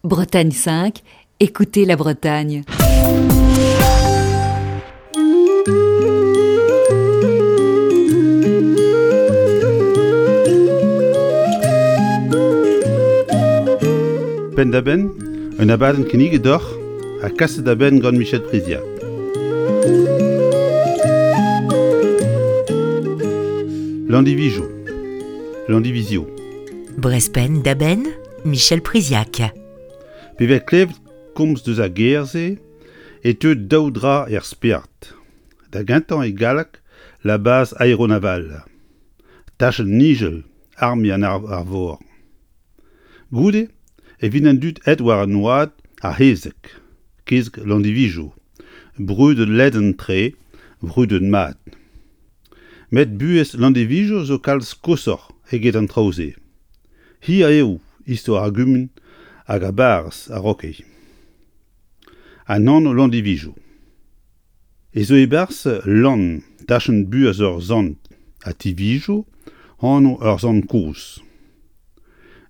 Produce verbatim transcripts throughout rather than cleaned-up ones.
Bretagne cinq, écoutez la Bretagne. Penn-da-benn, un abadenn kinniget deoc'h ha kaset da benn gant Michel Priziac. Landivizio. Landivizio. Brezh penn-da-benn, Michel Priziac. Pe vez klevet komz deus ar gêr-se e teu daou dra er spered. Da gentañ e galleg la base aéronavale. Tachenn nijel arme an arvor. Goude e vint an dud aet war an oad ar c'hezeg, kezeg Landivizio, brudet ledan-tre, brudet mat. Met buhez Landivizio zo kalz koshoc'h eget an traoù-se. Hir eo istor ar gumun hag ar barrez a-raok. An anv Landivizio. E zo e-barzh Lann, tachenn buhez ur sant, ha Tivizio, anv ur sant kozh.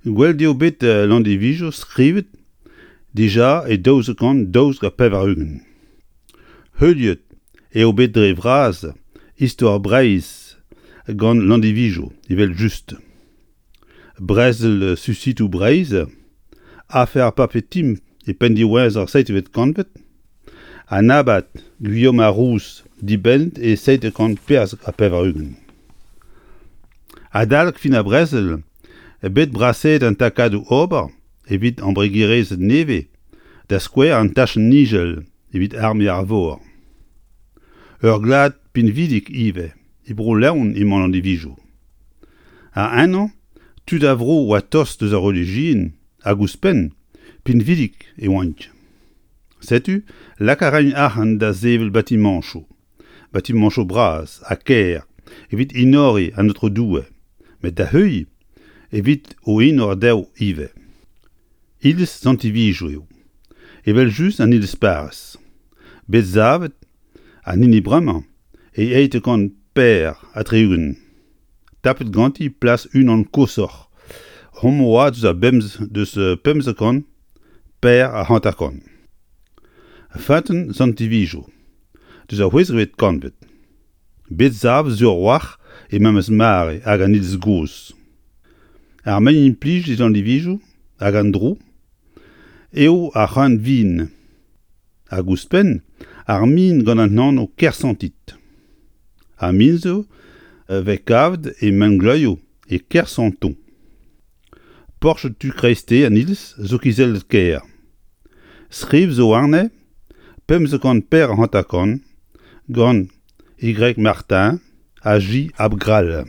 Gwelet eo bet Landivizio skrivet dija e daouzek kant daouzek ha pevar-ugent. Heuliet eo bet dre vras istor Breizh gant Landivizio, evel-just. Brezel Susitoù Breizh, afer Papetim e penn diwezhañ ar seizhvet kantved, an abad Guillaume ar Rouz dibennet e seizh kant perzek ha pevar-ugent. Adalek fin ar brezel, bet brasaet an takadoù ober evit embregerezed nevez, da skouer an tachenn nijel evit arme ar vor. Ur glad pinvidik ivez, e Bro-Leon emañ Landivizio. Ha ennañ, tud a vro oa tost eus ar relijion hag ouzhpenn, pinvidik e oant. Setu, lak a raint arc'hant da sevel batimañchoù, batimañchoù bras ha ker evit enoriñ an Aotrou Doue, met da heuilh evit o enor dezho ivez. Iliz Sant-Ivizio eo, evel-just an iliz parrez. Bet savet an hini bremañ e eizh kant per ha tri-ugent. Tapet ganti plas unan koshoc'h, homañ oa deus ar bemz deus pemzek kant per ha hanter-kant. Feunteun Sant-Ivizio, deus ar c'hwezekvet kantved. Bet savet sur a-walc'h e memes mare hag an iliz gozh. Ar mein implijet e Landivizio hag an dro eo ar c'hreun vin. Hag ouzhpenn, ar min gant an anv Kersantit. Ar min zo vez kavet e mengleuzioù e Kersanton. Porched tu kreisteiz an iliz zo kizellet kaer. Skriv zo warne pemzek kant per hanter-kant gant Y Martin ha J Abgrall.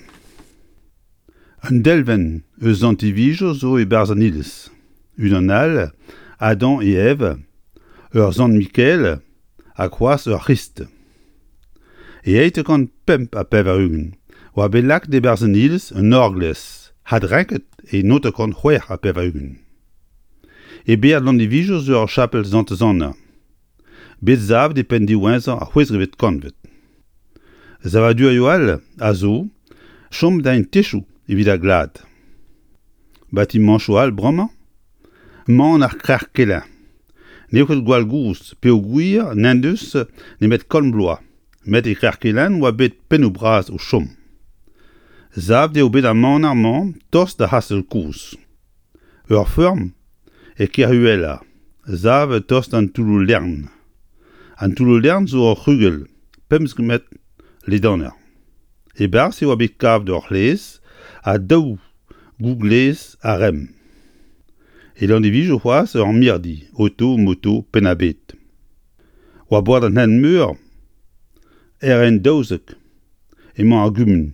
Un delwenn eus Sant-Ivizio zo e-barzh an iliz. Unan all, Adam et Ève, ur Sant Mikael ha c'hoazh ur C'hrist. E eizh kant pemp ha pevar-ugent oa bet lakaet e-barzh an iliz un orglez, adrenket e naontek kant c'hwec'h ha pevar-ugent. E bered Landivizio zo ur chapel Santez-Anna. Bet savet e penn diwezhañ ar c'hwezekvet kantved. Savadurioù all a zo, chom da techoù evit ar glad. Batimañchoù all bremañ, mañ ar Krec'h Kelañ. N'eo ket gwall gozh peogwir n'en deus nemet kant bloaz, met e Krec'h Kelenn oa bet pennoù bras o chom. Savet eo bet ar maner-mañ tost d'ar c'hastell kozh. Ur feurm e Kerhuela, savet tost d'an Toulloù-Lern. An Toulloù-Lern zo ur c'hrugell, pemzek metr ledaner. E-barzh e oa bet kavet ur c'hlez ha daou gouglez arem. E Landivizio c'hoazh ur mirdi, oto, moto, penn-ha-bed. War bord an hent-meur, R N daouzek emañ ar gumun.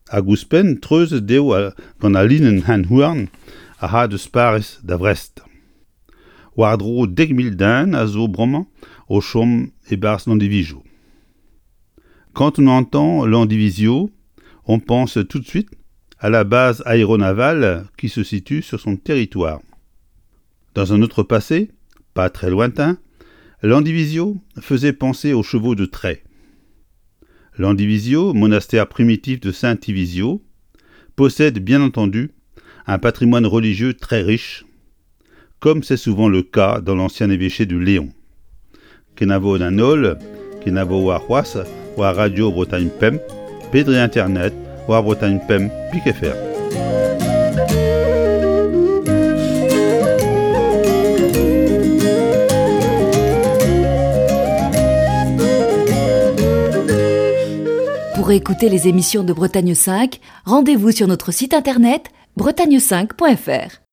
Hag ouzhpenn treuzet eo gant al linenn hent-houarn a c'ha deus Pariz da Vrest. War-dro dek mil den a zo bremañ o chom e-barzh Landivizio. Quand on entend Landivizio, on pense tout de suite à la base aéronavale qui se situe sur son territoire. Dans un autre passé, pas très lointain, Landivizio faisait penser aux chevaux de trait. Landivizio, monastère primitif de Saint-Ivizio, possède bien entendu un patrimoine religieux très riche, comme c'est souvent le cas dans l'ancien évêché du Léon. Kenavo d'an holl, kenavo war c'hoazh war Radio Bretagne Pemp, pe dre internet war Bretagne Pemp pik F R. Pour écouter les émissions de Bretagne cinq, rendez-vous sur notre site internet bretagne cinq point F R.